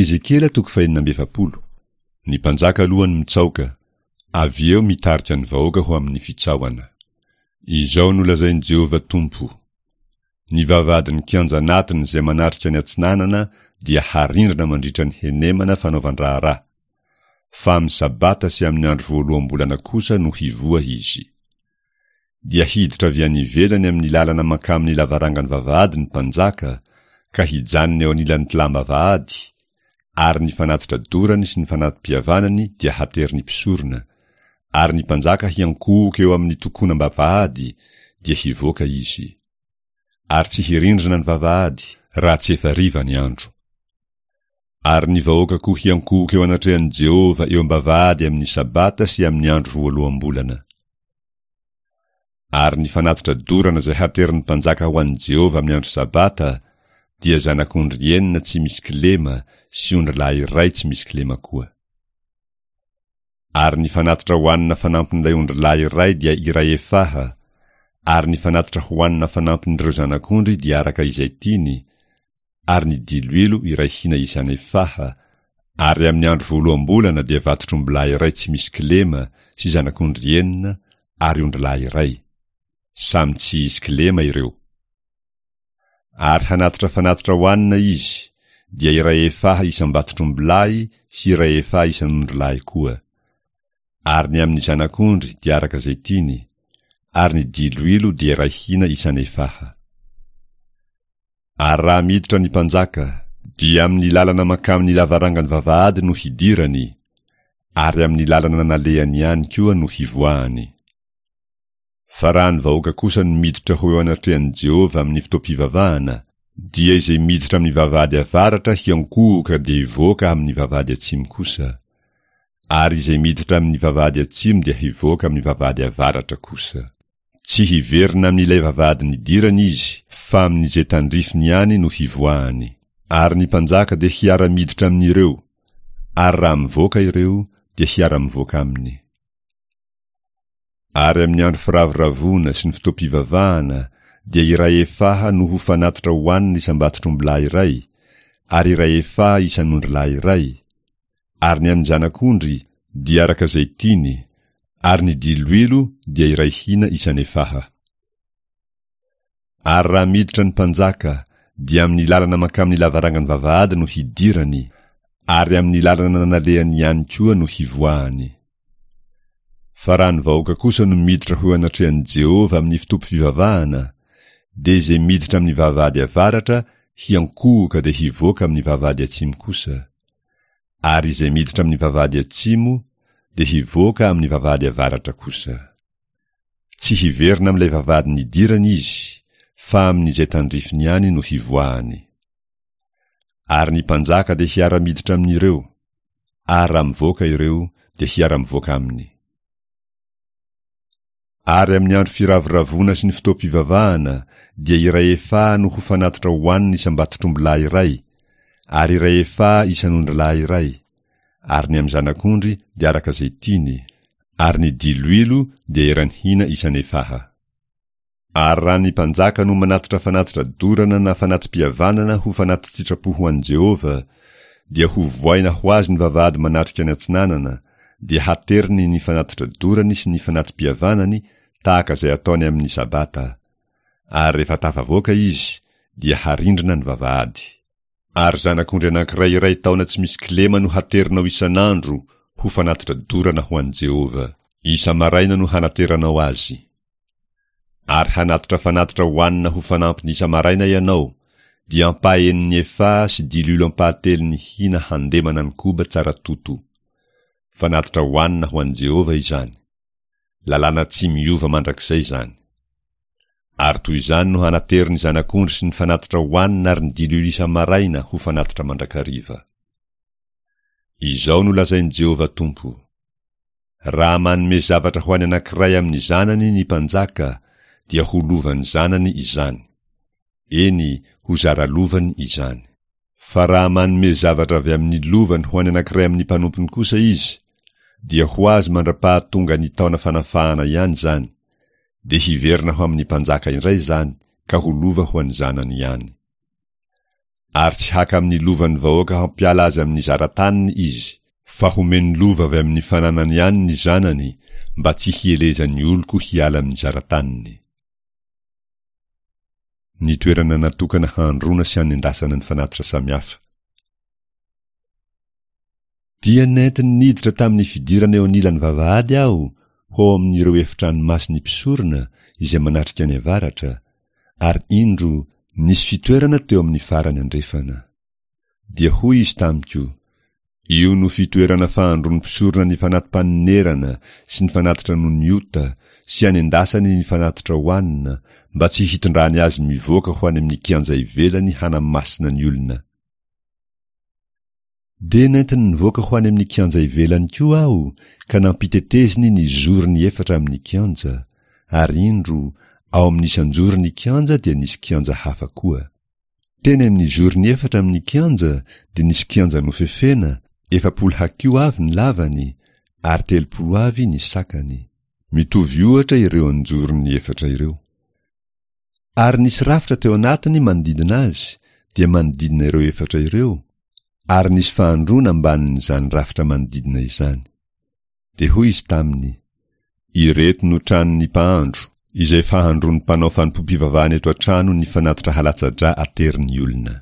Ezekiela toko fahenina amby efapolo. Ny mpanjaka aloha no mitsaoka, avy eo mitarika ny vahoaka ho amin'ny fitsaohana. Izao no lazain'i Jehovah Tompo, Ny vavahadin'ny kianja anatiny izay manatrika ny atsinanana dia harindrina mandritra ny henemana fanaovan-draharaha, fa amin'ny Sabata sy amin'ny andro voaloham-bolana kosa no hivoha izy. Dia hiditra avy any ivelany amin'ny lalana mankamin'ny lavarangan'ny vavahady ny mpanjaka, ka hijanona eo anilan'ny tlam-bavahady, ary ny fanatitra dorany sy ny fanati-pihavanany dia haterin'ny mpisorona, ary ny mpanjaka hiankohoka eo amin'ny tokonam-bavahady, dia hivoaka izy. Ary tsy hirindrina ny vavahady, raha tsy efa hariva ny andro. Ary ny vahoaka koa hiankohoka eo anatrehan'i Jehovah eo am-bavahady amin'ny Sabata sy amin'ny andro voaloham-bolana. Ary ny fanatitra dorana izay haterin'ny mpanjaka ho an'i Jehovah amin'ny andro Sabata dia zanak'ondry enina tsy misy kilema sy ondrilahy iray tsy misy kilema koa. Ary ny fanatitra hohanina fanampin'ilay ondrilahy iray dia iray efaha, ary ny fanatitra hohanina fanampin'ireo zanak'ondry dia araka izay tiany, ary ny diloilo iray hina isan'efaha, ary amin'ny andro voaloham-bolana dia vatotr'ombilahy iray tsy misy kilema sy zanak'ondry enina ary ondrilahy iray. Samy tsy hisy kilema ireo. Ary hanatitra fanatitra hohanina izy, dia iray efaha isam-batotr'ombilahy sy iray efaha isan'ondrilahy koa. Ary ny amin'ny zanak'ondry dia araka izay tiany, ary ny diloilo dia iray hina isan'efaha. Ary raha miditra ny mpanjaka, dia amin'ny lalana mankamin'ny lavarangan'ny vavahady no hidirany, ary amin'ny lalana nalehany ihany koa no hivoahany. Fa raha ny vahoaka kosa no miditra ho eo anatrehan'i Jehovah amin'ny fotoam-pivavahana, dia izay miditra amin'ny vavahady avaratra hiankohoka dia hivoaka amin'ny vavahady atsimo kosa, ary izay miditra amin'ny vavahady atsimo dia hivoaka amin'ny vavahady avaratra kosa. Tsy hiverina amin'ilay vavahady nidirany izy, fa amin'izay tandrifiny ihany no hivoahany. Ary ny mpanjaka dia hiara-miditra amin'ireo, ary raha mivoaka ireo, dia hiara-mivoaka aminy. Ary amin'ny andro firavoravoana sy ny fotoam-pivavahana, dia iray efaha no ho fanatitra hohanina isam-batotr'ombilahy iray, ary iray efaha isan'ondrilahy iray, Ary ny amin'ny zanak'ondry dia araka izay tiany, ary ny diloilo dia iray hina isan'efaha. Ary raha miditra ny mpanjaka, dia amin'ny lalana mankamin'ny lavarangan'ny vavahady no hidirany, ary amin'ny lalana nalehany ihany koa no hivoahany. Fa raha ny vahoaka kosa no miditra ho eo anatrehan'i Jehovah amin'ny fotoam-pivavahana, dia izay miditra amin'ny vavahady avaratra hiankohoka dia hivoaka amin'ny vavahady atsimo kosa, ary izay miditra amin'ny vavahady atsimo dia hivoaka amin'ny vavahady avaratra kosa. Tsy hiverina amin'ilay vavahady nidirany izy, fa amin'izay tandrifiny ihany no hivoahany. Ary ny mpanjaka dia hiara-miditra amin'ireo, ary raha mivoaka ireo dia hiara-mivoaka aminy. Ary amin'ny andro firavoravoana sy ny fotoam-pivavahana dia iray efaha no ho fanatitra hohanina isam-batotr'ombilahy iray, ary iray efaha isan'ondrilahy iray, ary ny amin'ny zanak'ondry dia araka izay tiany, ary ny diloilo dia eran'ny hina isan'efaha. Ary raha ny mpanjaka no manatitra fanatitra dorana na fanati-pihavanana ho fanati-tsitrapo ho an'i Jehovah, dia hovohaina ho azy ny vavahady manatrika ny atsinanana, dia hateriny ny fanatitra dorany sy ny fanati-pihavanany tahaka izay ataony amin'ny Sabata. Ary rehefa tafavoaka izy, dia harindrina ny vavahady. Ary zanak'ondry anankiray iray taona tsy misy kilema no haterinao isan'andro ho fanatitra dorana ho an'i Jehovah. Isa-maraina no hanateranao azy. Ary hanatitra fanatitra hohanina ho fanampiny isa-maraina ianao, dia ampahaenin'ny efaha sy diloilo ampahatelon'ny hina handemana ny koba tsara toto. Fanatitra hohanina ho an'i Jehovah izany. Lalàna tsy miova mandrakizay izany. Ary toy izany no hanatery ny zanak'ondry sy ny fanatitra hohanina ary ny diloilo isa-maraina ho fanatitra mandrakariva. Izao no lazain'i Jehovah Tompo, Raha manome zavatra ho an'ny anankiray amin'ny zanany ny mpanjaka, dia ho lovan'ny zanany izany. Eny, ho zara lovany izany. Fa raha manome zavatra avy amin'ny lovany ho an'ny anankiray amin'ny mpanompony kosa izy, dia ho azy mandra-pahatonga ny taona fanafahana ihany izany, dia hiverina ho amin'ny mpanjaka indray izany ka ho lova ho an'ny zanany ihany. Ary tsy haka amin'ny lovan'ny vahoaka hampiala azy amin'ny zara-taniny izy, fa homeny lova avy amin'ny fananany ihany ny zanany, mba tsy hielezan'ny oloko hiala amin'ny zara-taniny. Ny toerana natokana handroana sy hanendasana ny fanatitra samihafa. Dia nentiny niditra tamin'ny fidirana eo anilan'ny vavahady aho ho ao amin'ireo efitrano masin'ny mpisorona izay manatrika any avaratra, ary indro nisy fitoerana teo amin'ny farany andrefana. Dia hoy izy tamiko, Io no fitoerana fahandroan'ny mpisorona ny fanati-panonerana sy ny fanatitra noho ny ota, sy anendasany ny fanatitra hohanina, mba tsy hitondrany azy mivoaka ho any amin'ny kianja ivelany hanamasina ny olona. Dia nentiny nivoaka ho any amin'ny kianja ivelany koa aho ka nampiteteziny ny zorony efatra amin'ny kianja, ary indro, ao amin'ny isan-joron'ny kianja dia nisy kianja hafa koa. Teny amin'ny zorony efatra amin'ny kianja dia nisy kianja nofefena, 40 hakiho avy ny lavany, ary 30 avy ny sakany. Mitovy ohatra ireo anjorony efatra ireo. Ary nisy rafitra teo anatiny manodidina azy, dia manodidina ireo efatra ireo, ary nisy fahandroana ambanin'izany rafitra manodidina izany. Dia hoy izy taminy, Ireto no tranon'ny mpahandro, izay fahandroan'ny mpanao fanompoam-pivavahana eto an-trano ny fanatitra halatsa-drà aterin'ny olona.